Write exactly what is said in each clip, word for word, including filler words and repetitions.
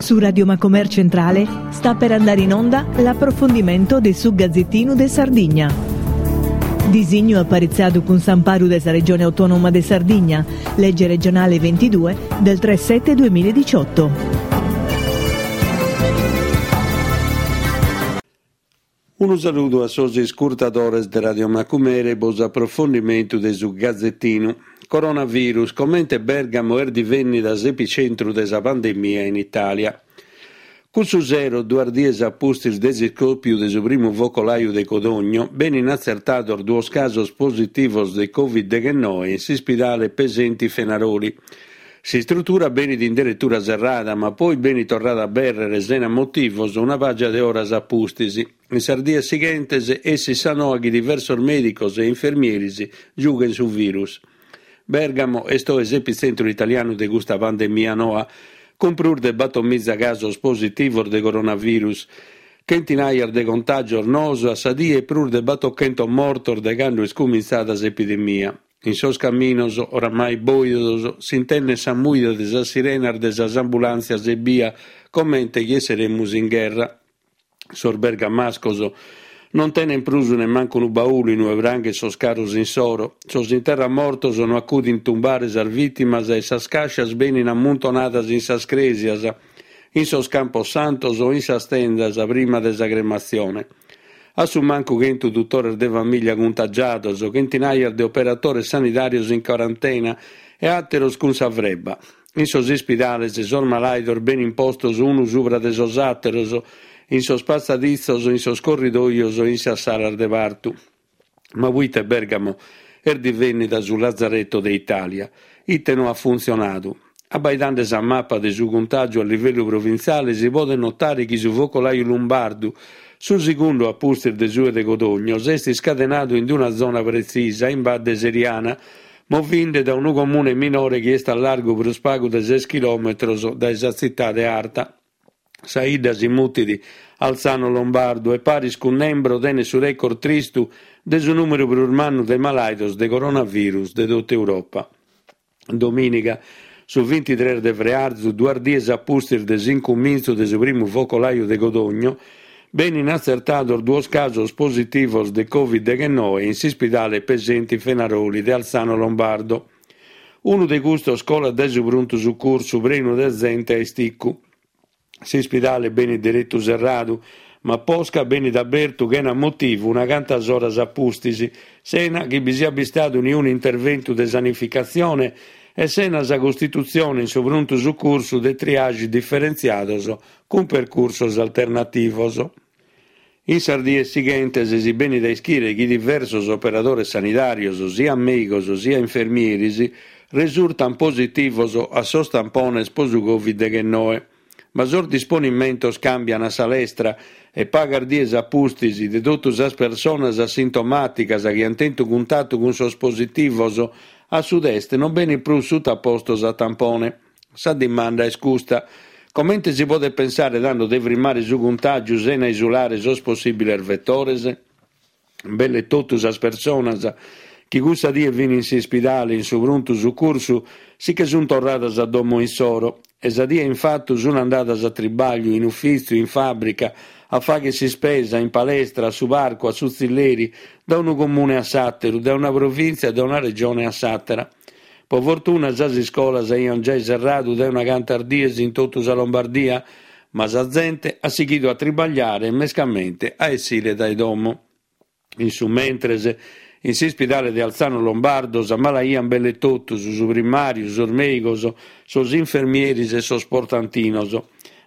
Su Radio Macomer Centrale sta per andare in onda l'approfondimento de su Gazzettinu de Sardigna. Disignu aparitzadu cun s'amparu de sa Regione Autonoma de Sardigna, legge regionale ventidue del tre sette duemiladiciotto. Unu saludu a sos iscurtadores de Radio Macumere po s'aprofondimentu de su Gazzettinu. Coronavirus, comente Bergamo est divennida s'epicentru de sa pandemia in Italia. Cussu sero, duas dies a pustis de s'iscòpiu de su primu focolaiu de Codogno, benin atzertados duos casos positivos de Covid deghennoe in s'ispidale Pesenti Fenaroli. S'istrutura benit in deretura serrada, ma poi benit torrada a abèrrere sena motivos una pàgia de oras a pustis. In sas dies sighentes essit sa noa chi diversos mèdicos e infermieris giughen su virus. Bergamo est oe s'epitzentru italianu de custa pandemia noa, cun prus de bator miza casos positivos de coronavirus, chentinaias de contàgios noos a sa die e prus de batochentos mortos de cando est cumintzada s'epidemia. In sos caminos, oramai bòidos, s'intendet sa mùida de sas sirenas de sas ambulàntzias ebbia, comente chi esseremus in gherra. Sos bergamascos non tenen prus nemmancu unu baulu in ue pranghen sos caros insoro. Sos interramortos no acudin tumbare sas vìtimas e sas càscias benin ammuntonadas in sas crèsias, in sos campos santos o in sas tendas prima de sa crematzione. A su mancu chentu dutores de famìlia cuntagiados, chentinaias de operadores sanidàrios in quarantena e àteros cun sa frebba. In sos ispidales sos malàidos benin postos unu subra de sos àteros, in sos passaditzos, in sos corridòios e in sas salas de partu. Ma proite Bergamo est divennida su lazzaretto de Itàlia? Ite no at funtzionadu? Abbaidende sa mapa de su cuntàgiu a livellu provintziale si podet notare chi su focolaiu lumbardu, su segundu a pustis de su de Codogno, s'est iscadenadu in una zona pretzisa, in Badde Seriana, movinde da unu comune minore chi est a largu prus pagu de ses chilòmetros dae sa tzitade arta. Sa 'idda si mutit Alzano Lombardo e paris cun Nembro tenet su record tristu de su nùmeru prus mannu de malàidos de coronavirus de tota Europa. Domìniga, su bintitrès de frearzu, duas dies a pustis de s'incumintzu de su primu focolaiu de Codogno, benin atzertados duos casos positivos de Covid deghennoe in s'ispidale Pesenti Fenaroli de Alzano Lombardo. Unu de custos colat dae su pruntu sucursu prenu de zente a isticu. S'ispidale benit deretu serradu, ma posca benit abertu chena motivu una cantas oras a pustis, sena chi bi siat bistadu niunu interventu de sanificatzione e sena sa costitutzione in su pruntu sucursu de triage diferentziados cun percursos alternativos. In sas dies sighentes si benit a ischire chi diversos operadores sanidàrios, sia mèigos sia infermieris, resurtan positivos a sos tampones po su Covid deghennoe. Ma sos disponimentos càmbian a sa lestra e pagas dies a pustis de totu sas personas asintomàticas chi ant tentu cuntatu cun sos positivos a su test non benint prus sutapostos a tampone. Sa dimanda est custa. Comente si podet pensare tando de frimmare su cuntàgiu sena isulare sos possìbiles vetores? Belle totu sas personas chi cussa die fin in s'ispidale in su pruntu sucursu si che sunt torradas a domo insoro e sa die in fatu sunt andadas a tribagliu, in ufìtziu, in fàbrica, a fagher s'ispesa, in palestra, a su parcu, a su tzilleri, da unu comune a s'àteru, da una provìntzia, da una regione a s'àtera. Po fortuna sas iscolas aiant giai serradu dae una cantas dies in totu sa Lombardia, ma sa zente at sighidu a tribagliare e mescamente a essire dae domo. In su mentres, in s'ispidale de Alzano Lombardo s'ammalaiant belle totus, su primàriu, sos mèigos, sos infermieris e sos portantinos.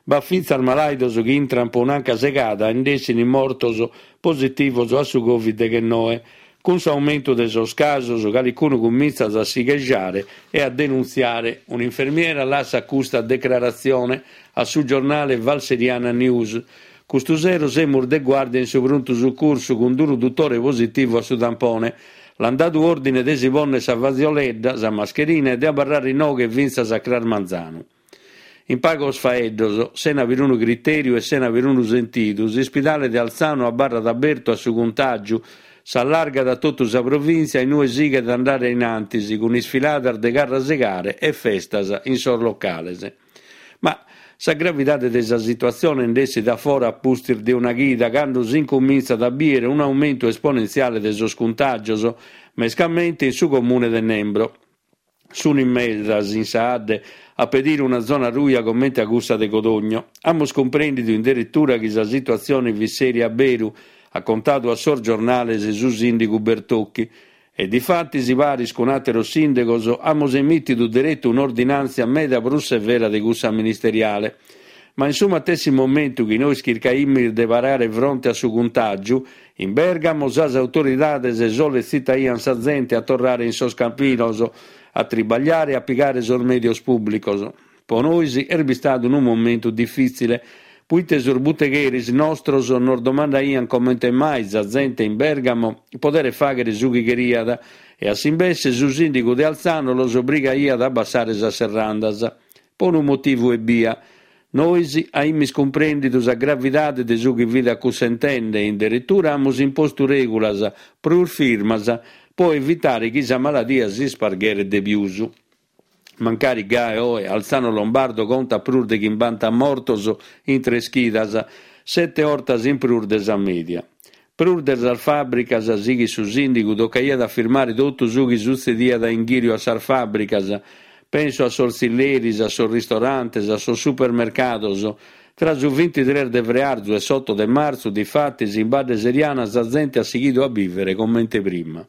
B'at fintzas malàidos chi intrant po un'anca segada e nd'essin mortos positivos a su Covid deghennoe. Cun s'aumentu de sos casos, calicunu cumintzat a si chesciare e a denuntziare. Un'infermiera lassat custa decraratzione a su giornale Valseriana News. Custu sero semus de guàrdia in su pruntu sucursu cun unu dutore positivu a su tampone. L'ant dadu òrdine de si pònnere sa fatzioledda, sa mascherina e de abarrare inoghe fintzas a cras manzanu. In pagos faeddos, sena perunu critèriu e sena perunu sentidu, s'ispidale de Alzano abarrat abertu a su cuntàgiu, s'allargat a totu sa provìntzia in ue sighet a andare in antis cun isfiladas de carrasegare e festas in sos locales. Ma Sa gravidade de sa situatzione nd'essit a fora a pustis de una chida, cando s'incumintzat a bìdere un'aumentu esponentziale de sos cuntàgios, mescamente in su comune de Nembro. Sunt in medas in sa 'adde a pedire una zona ruja comente a cussa de Codogno. Amus cumprèndidu in deretura chi sa situatzione fit sèria a beru, at contadu a sos giornales su sìndigu Bertocchi. E difatis, paris cun àteros sìndigos, amus emìtidu deretu un'ordinàntzia meda prus severa de cussa ministeriale. Ma in su matessi momentu chi nois chircaimis de parare fronte a su cuntàgiu, in Bèrgamo sas autoridades solletzitaiant sa zente a torrare in sos campinos, a tribagliare e a pigare sos mèdios pùblicos. Po nois est bistadu unu momentu difìtzile, poite sos butegheris nostros nos domandaiant comente mai sa zente in Bèrgamo poderet fàghere su chi cheriat e a s'imbesse su sìndigu de Alzano los obrigaiat a abbassare sas serrandas. Po unu motivu ebbia. Nois aimis cumprèndidu sa gravidade de su chi fit acussentende e in deretura amus impostu règulas prus firmas po evitare chi sa maladia s'ispargheret de pius. Mancari gai oe Alzano Lombardo contat prus de chimbanta mortos in tres chidas, sete 'ortas in prus de sa mèdia. Prus de sas fàbricas, sighit su sìndigu, tocaiat a firmare totu su chi sutzediat a inghìriu a sas fàbricas, penso a sos tzilleris, a sos ristorantes, a sos supermercados. Tra su bintitres de frearzu e s'oto de martzu, difatis, in Badde Seriana sa zente at sighidu a bìvere comente prima.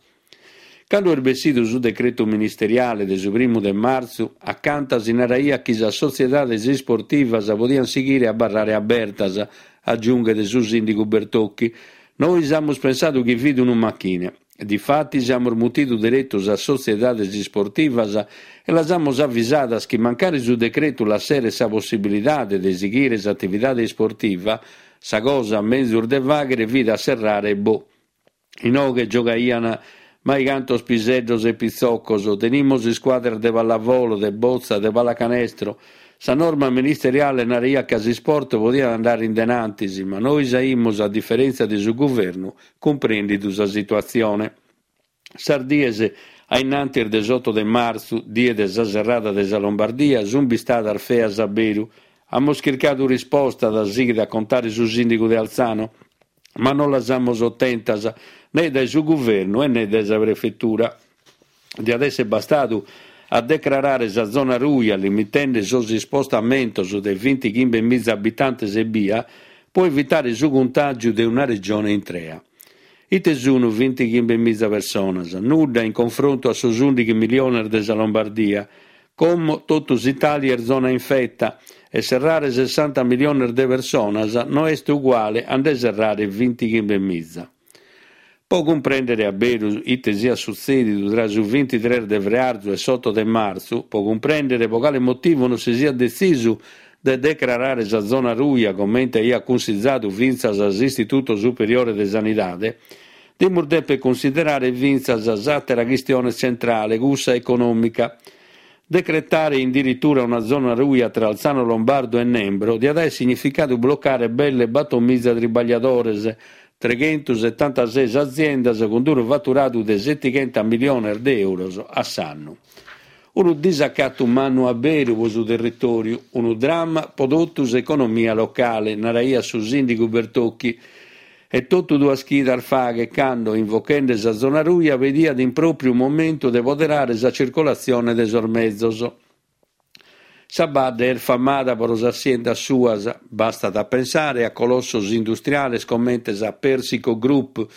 Cando est bessidu su decretu ministeriale de su primu de martzu, acanta si naraiat chi sas sotziedades isportivas podiant sighire a abarrare abertas, agiunghet su sìndigu Bertocchi. Nois amus pensadu chi fit unu machine. Difatis amus mutidu deretu sas sotziedades isportivas e las amus avisadas chi mancari su decretu lasseret sa possibilidade de sighire s'atividade isportiva, sa cosa menzus de fàghere fit a serrare e boh. Inoghe giogaiant maicantos piseddos e pitzocos, tenimus iscuadras de pallavolo, de botza, de pallacanestro. Sa norma ministeriale naraiat ca s'isport podiat andare in denantis, ma nois aimus, a diferèntzia de su guvernu, cumprèndidu sa situatzione. Sas dies a innantis de s'oto de martzu, die de sa serrada de sa Lombardia, sunt bistadas feas a beru. Amus chircadu rispostas, sighit a contare su sìndigu de Alzano, ma non las amus otentas, ne dae su guvernu e ne dae sa prefetura. Diat èssere bastadu a decrarare sa zona ruja, limitende sos ispostamentos de bintichimbe miza abitantes ebbia, po evitare su cuntàgiu de una regione intrea. Ite sunt bintichimbe miza personas? Nudda in confrontu a sos ùndighi miliones de sa Lombardia. Como totu s'Itàlia est zona infeta e serrare sessanta miliones de personas no est uguale a nde serrare bintichimbe miza. Po cumprèndere a beru ite siat sutzèdidu tra su bintitres de frearzu e s'oto de martzu, po cumprèndere po cale motivu non si siat detzisu de decrarare sa zona ruja comente aiat cunsizadu fintzas s'Istituto Superiore de Sanidade, dimus dèpere cunsiderare fintzas s'àtera chistione tzentrale, cussa econòmica. Decretare in deretura una zona ruja tra Alzano Lombardo e Nembro diat àere significadu blocare belle bator miza tribagliadores, treghentosetantases aziendas cun unu faturadu de setighentos miliones de euros a s'annu. Unu disacatu mannu a beru pro su territòriu, unu dramma pro totu s'economia locale, naraiat su sìndigu Bertocchi. E totu duas chidas faghet cando, invochende sa zona ruja, pediat in pròpiu momentu de poderare sa circulatzione de sos mezos. Sa badde est famada pro sas siendas suas, bastat a pensare a colossos industriales comente sa Persico Group,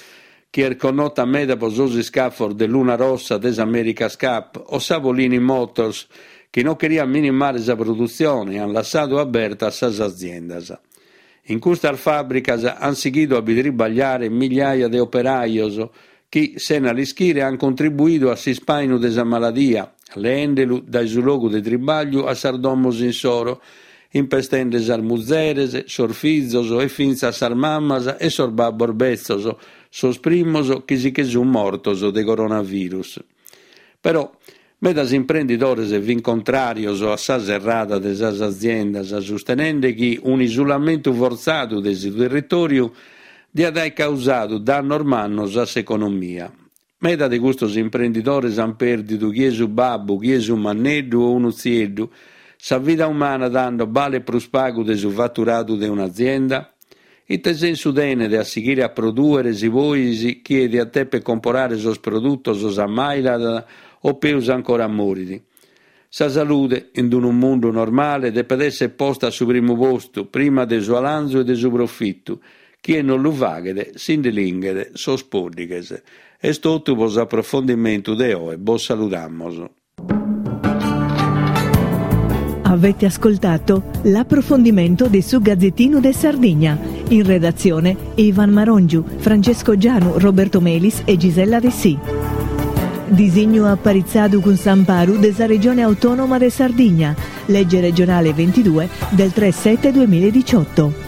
chi est connota meda pro sos iscafos de Luna Rossa de s'America's Cup, o sa Polini Motors, chi non cheriat minimare sa produtzione e ant lassadu abertas sas aziendas. In custas fàbricas ant sighidu a bi tribagliare migliaia de operajos chi, sena l'ischire, ant contribuidu a s'ispàinu de sa maladia, leendelu dae su logu de tribagliu a sas domos insoro, impestende sas muzeres, sos fizos e fintzas sas mamas e sos babbos betzos, sos primos chi si che sunt mortos de coronavirus. Però medas imprendidores fin contràrios a sa serrada de sas aziendas, sustenende chi un'isulamentu fortzadu de su territòriu diat àere causadu dannos mannos a s'economia. Meda de custos imprendidores ant pèrdidu chie su babbu, chie su manneddu o unu tzieddu. Sa vida umana tando balet prus pagu de su faturadu de un'azienda? Ite sensu tenet a sighire a prodùere si pois chie diat dèpere comporare sos produtos s'ammàidat o peus ancora morit? Sa salude, in unu mundu normale, depet èssere posta a su primu postu, prima de su 'alanzu e de su profitu. Chie non lu faghet si nde linghet sos pòddighes. Est totu pro s'aprofondimentu de oe. Bos saludamos. Avete ascoltato l'approfondimento di su Gazzettino de Sardigna. In redazione Ivan Marongiu, Francesco Gianu, Roberto Melis e Gisella Dessì. Disignu aparitzadu cun s'amparu de sa Regione Autonoma de Sardigna, legge regionale ventidue del tre sette duemiladiciotto.